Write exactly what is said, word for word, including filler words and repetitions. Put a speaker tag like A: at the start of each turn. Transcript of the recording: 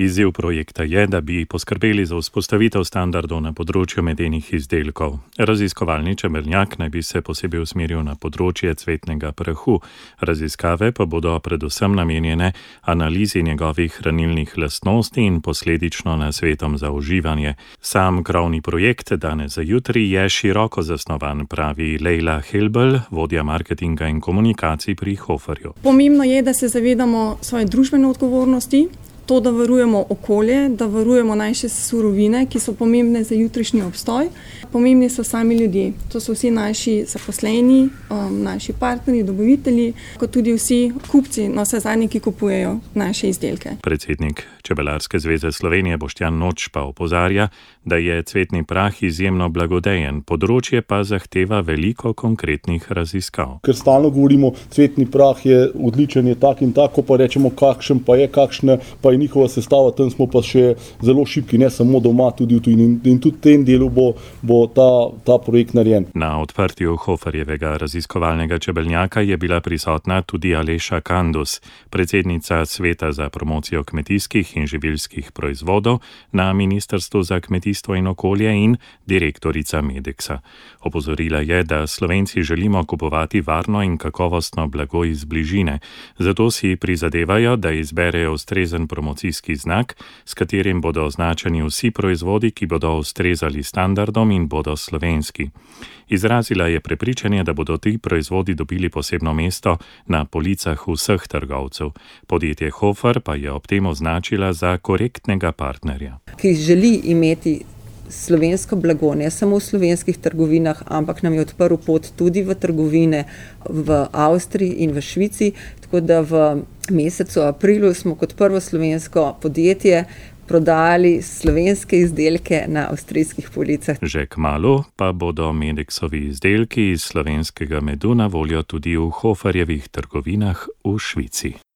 A: Izziv projekta je, da bi poskrbeli za vzpostavitev standardov na področju medenih izdelkov. Raziskovalni čebelnjak naj bi se posebej usmeril na področje cvetnega prahu. Raziskave pa bodo predvsem namenjene analizi njegovih hranilnih lastnosti in posledično nasvetom za uživanje. Sam krovni projekt danes za jutri je široko zasnovan, pravi Lejla Helbel, vodja marketinga in komunikacij pri Hoferju.
B: Pomembno je, da se zavedamo svoje družbene odgovornosti, to, da varujemo okolje, da varujemo naše surovine, ki so pomembne za jutrišnji obstoj. Pomembni so sami ljudje. To so vsi naši zaposleni, um, naši partnerji, dobavitelji, kot tudi vsi kupci, no vse zadnji, ki kupujejo naše izdelke.
A: Predsednik Čebelarske zveze Slovenije Boštjan Noč pa opozarja, da je cvetni prah izjemno blagodejen, področje pa zahteva veliko konkretnih raziskav.
C: Ker stalno govorimo, cvetni prah je odličen, je tak in tako, pa rečemo, kakšen pa je, kakšna pa je njihova sestava, tam smo pa še zelo šibki, ne samo doma, tudi v tujini. In tudi v tem delu bo, bo ta, ta projekt narejen.
A: Na odprtju Hoferjevega raziskovalnega čebelnjaka je bila prisotna tudi Aleša Kandus, predsednica Sveta za promocijo kmetijskih in živilskih proizvodov na Ministrstvu za kmetijstvo in okolje in direktorica Medeksa. Opozorila je, da Slovenci želimo kupovati varno in kakovostno blago iz bližine, zato si prizadevajo, da izberejo ustrezen promocijski znak, s katerim bodo označeni vsi proizvodi, ki bodo ustrezali standardom in bodo slovenski. Izrazila je prepričanje, da bodo ti proizvodi dobili posebno mesto na policah vseh trgovcev. Podjetje Hofer pa je ob tem označila za korektnega partnerja.
D: Ki želi imeti slovensko blago, ne samo v slovenskih trgovinah, ampak nam je odprl pot tudi v trgovine v Avstriji in v Švici, tako da v mesecu aprilu smo kot prvo slovensko podjetje prodajali slovenske izdelke na avstrijskih policah.
A: Že kmalu pa bodo Medeksovi izdelki iz slovenskega medu na voljo tudi v Hoferjevih trgovinah v Švici.